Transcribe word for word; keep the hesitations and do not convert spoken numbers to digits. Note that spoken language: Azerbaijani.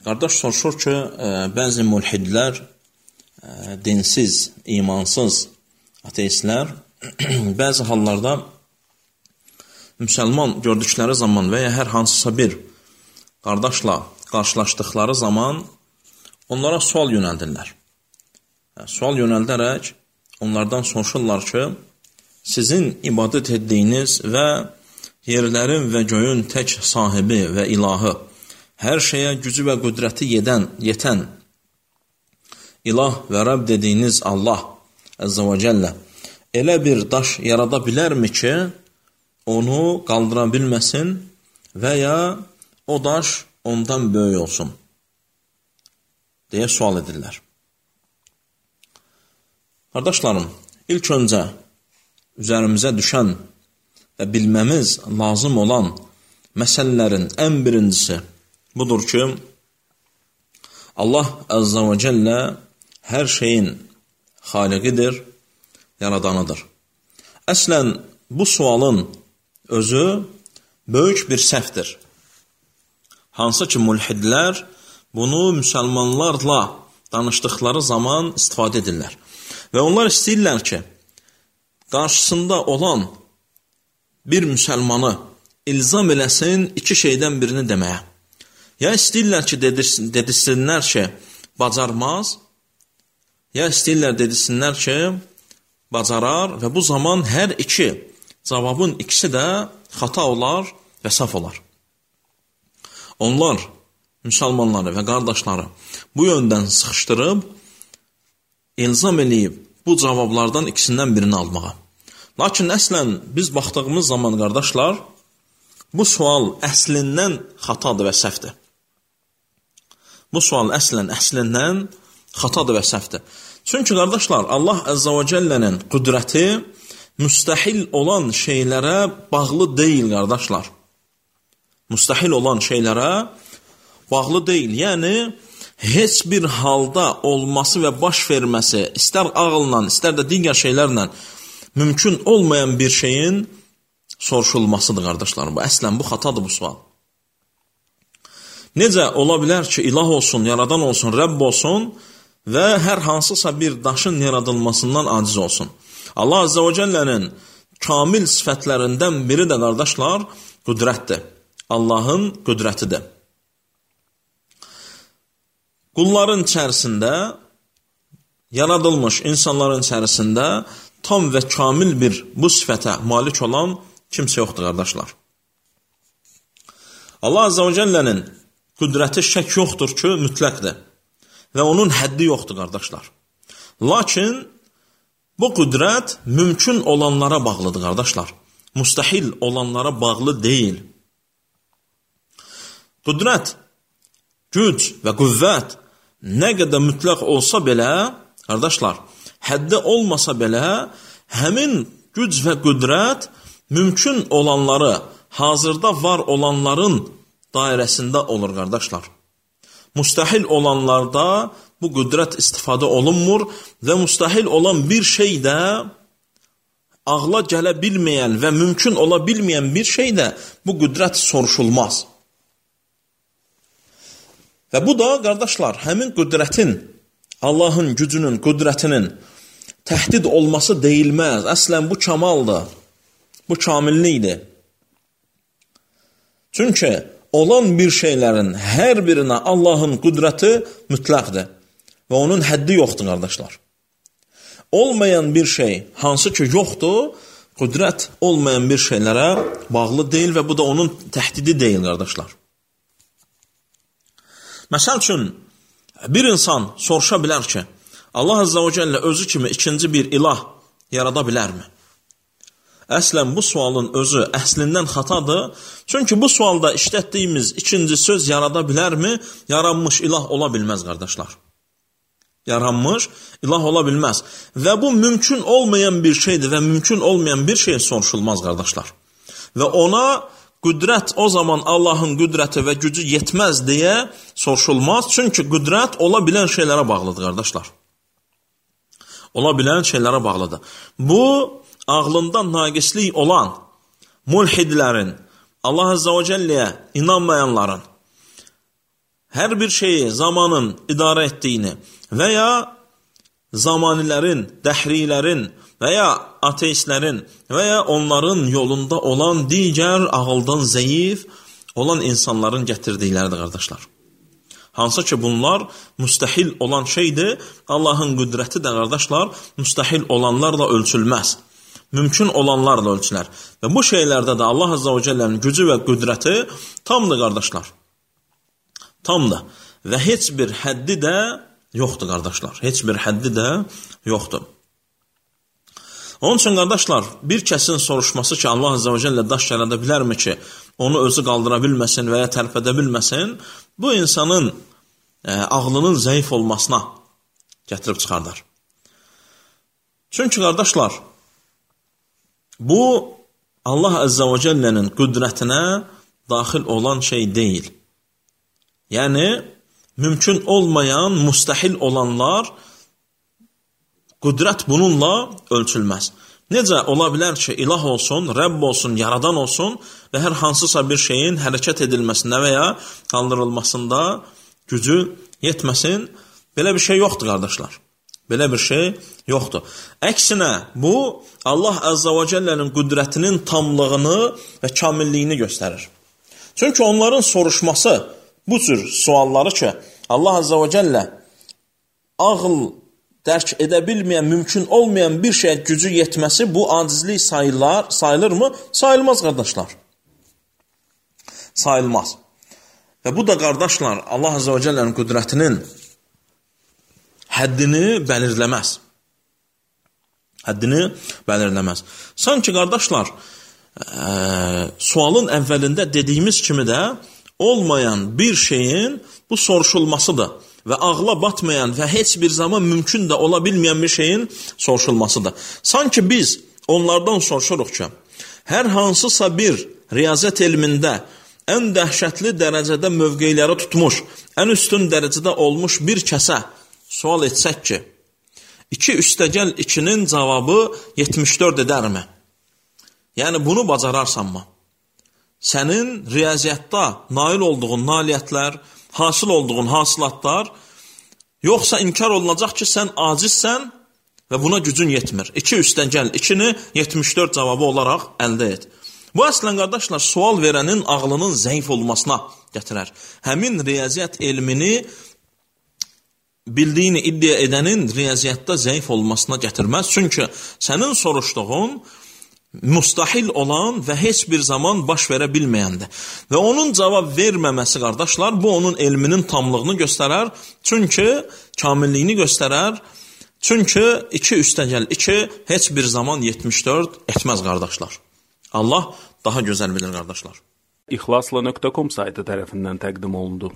Qardaş soruşur ki, bəzi mülhidlər, dinsiz, imansız ateistlər bəzi hallarda müsəlman gördükləri zaman və ya hər hansısa bir qardaşla qarşılaşdıqları zaman onlara sual yönəldirlər. Sual yönəldərək onlardan soruşurlar ki, sizin ibadət etdiyiniz və yerlərin və göyün tək sahibi və ilahı, hər şeyə gücü və qüdrəti yedən, yetən ilah və Rəbb dediyiniz Allah Əzzə və Cəllə elə bir daş yarada bilərmi ki, onu qaldıra bilməsin və ya o daş ondan böyük olsun deyə sual edirlər. Qardaşlarım, ilk öncə üzərimizə düşən və bilməmiz lazım olan məsələlərin ən birincisi budur ki, Allah Əzzə və Cəllə hər şeyin xaliqidir, yaradanıdır. Əslən, bu sualın özü böyük bir səhvdir. Hansı ki, mülhidlər bunu müsəlmanlarla danışdıqları zaman istifadə edirlər. Və onlar istəyirlər ki, qarşısında olan bir müsəlmanı ilzam eləsin iki şeydən birini deməyə. Ya istəyirlər ki, dedirsinlər ki, bacarmaz, ya istəyirlər dedirsinlər ki, bacarar və bu zaman hər iki cavabın ikisi də xata olar və səhv olar. Onlar müsəlmanları və qardaşları bu yöndən sıxışdırıb, ilzam eləyib bu cavablardan ikisindən birini almağa. Lakin əslən biz baxdığımız zaman qardaşlar, bu sual əslindən xatadır və səhvdir. Bu sual əslən əslindən xatadır və səhvdir. Çünki qardaşlar, Allah Əzzə və Cəllənin qüdrəti müstəhil olan şeylərə bağlı deyil, qardaşlar. Müstəhil olan şeylərə bağlı deyil. Yəni, heç bir halda olması və baş verməsi, istər ağılla, istər də digər şeylərlə mümkün olmayan bir şeyin soruşulmasıdır, qardaşlarım. Bu, əslən, bu xatadır bu sual. Necə ola bilər ki, ilah olsun, yaradan olsun, Rəbb olsun və hər hansısa bir daşın yaradılmasından aciz olsun? Allah Əzzə və Cəllənin kamil sifətlərindən biri də, qardaşlar, qüdrətdir. Allahın qüdrətidir. Qulların içərisində, yaradılmış insanların içərisində tam və kamil bir bu sifətə malik olan kimsə yoxdur, qardaşlar. Allah Əzzə və Cəllənin qüdrəti şək yoxdur ki, mütləqdir. Və onun həddi yoxdur, qardaşlar. Lakin bu qüdrət mümkün olanlara bağlıdır, qardaşlar. Müstəhil olanlara bağlı deyil. Qüdrət, güc və qüvvət nə qədər mütləq olsa belə, qardaşlar, həddi olmasa belə, həmin güc və qüdrət mümkün olanları, hazırda var olanların dairəsində olur, qardaşlar. Müstəhil olanlarda bu qüdrət istifadə olunmur və müstəhil olan bir şey də ağla gələ bilməyən və mümkün ola bilməyən bir şey də bu qüdrət soruşulmaz. Və bu da, qardaşlar, həmin qüdrətin, Allahın gücünün, qüdrətinin təhdid olması deyilməz. Əslən, bu kamaldır, bu kamillikdir. Çünki olan bir şeylərin hər birinə Allahın qüdrəti mütləqdir və onun həddi yoxdur, qardaşlar. Olmayan bir şey, hansı ki yoxdur, qüdrət olmayan bir şeylərə bağlı deyil və bu da onun təhdidi deyil, qardaşlar. Məsəl üçün, bir insan soruşa bilər ki, Allah Əzzə və Cəllə özü kimi ikinci bir ilah yarada bilərmi? Əslən, bu sualın özü əslindən xatadır. Çünki bu sualda işlətdiyimiz ikinci söz yarada bilərmi? Yaranmış ilah ola bilməz, qardaşlar. Yaranmış ilah ola bilməz. Və bu mümkün olmayan bir şeydir və mümkün olmayan bir şey soruşulmaz, qardaşlar. Və ona qüdrət o zaman Allahın qüdrəti və gücü yetməz deyə soruşulmaz. Çünki qüdrət ola bilən şeylərə bağlıdır, qardaşlar. Ola bilən şeylərə bağlıdır. Bu, ağlında naqislik olan mulhidlərin, Allah Əzzə və Cəlləyə inanmayanların hər bir şeyi zamanın idarə etdiyini və ya zamanilərin, dəhrilərin və ya ateistlərin və ya onların yolunda olan digər ağıldan zəif olan insanların gətirdikləridir, qardaşlar. Hansı ki, bunlar müstəhil olan şeydir. Allahın qüdrəti də, qardaşlar, müstəhil olanlarla ölçülməz. Mümkün olanlarla ölçülər. Və bu şeylərdə də Allah Azza və Cəllənin gücü və qüdrəti tamdır, qardaşlar. Tamdır. Və heç bir həddi də yoxdur, qardaşlar. Heç bir həddi də yoxdur. Onun üçün, qardaşlar, bir kəsin soruşması ki, Allah Azza və Cəllə daş yarada bilərmi ki, onu özü qaldıra bilməsin və ya tərpədə bilməsin, bu insanın e, ağlının zəif olmasına gətirib çıxardar. Çünki, qardaşlar, bu Allah Azza və Cəllənin qüdrətinə daxil olan şey deyil. Yəni, mümkün olmayan, müstəhil olanlar, qüdrət bununla ölçülməz. Necə ola bilər ki, ilah olsun, Rəbb olsun, yaradan olsun və hər hansısa bir şeyin hərəkət edilməsində və ya qaldırılmasında gücü yetməsin? Belə bir şey yoxdur, qardaşlar. Belə bir şey yoxdur. Əksinə, bu Allah Azza və Cəllənin qüdrətinin tamlığını və kamilliyini göstərir. Çünki onların soruşması bu cür sualları ki, Allah Azza və Cəllə ağıl dərk edə bilməyən, mümkün olmayan bir şeyə gücü yetməsi bu acizlik sayılar, sayılırmı? Sayılmaz, qardaşlar. Sayılmaz. Və bu da, qardaşlar, Allah Azza və Cəllənin qüdrətinin həddini bəlirləməz. Həddini bəlirləməz. Sanki, qardaşlar, ə, sualın əvvəlində dediyimiz kimi də olmayan bir şeyin bu soruşulmasıdır və ağla batmayan və heç bir zaman mümkün də ola bilməyən bir şeyin soruşulmasıdır. Sanki biz onlardan soruşuruq ki, hər hansısa bir riyazət elmində ən dəhşətli dərəcədə mövqeyləri tutmuş, ən üstün dərəcədə olmuş bir kəsə sual etsək ki, iki üstəgəl ikinin cavabı yetmiş dörd edərmi? Yəni, bunu bacararsanmı? Sənin riyaziyyatda nail olduğun nailiyyətlər, hasil olduğun hasilatlar, yoxsa inkar olunacaq ki, sən acizsən və buna gücün yetmir. iki üstəgəl ikini yetmiş dörd cavabı olaraq əldə et. Bu, əslən, qardaşlar, sual verənin ağlının zəif olmasına gətirər. Həmin riyaziyyat elmini bildiyini iddia edənin riyaziyyatda zəif olmasına gətirməz. Çünki sənin soruşduğun müstahil olan və heç bir zaman baş verə bilməyəndir. Və onun cavab verməməsi, qardaşlar, bu onun elminin tamlığını göstərər. Çünki kamilliyini göstərər. Çünki iki üstəgəl iki heç bir zaman yetmiş dörd etməz, qardaşlar. Allah daha gözəl bilir, qardaşlar. İxlasla nöqtə com saytı tərəfindən təqdim olundu.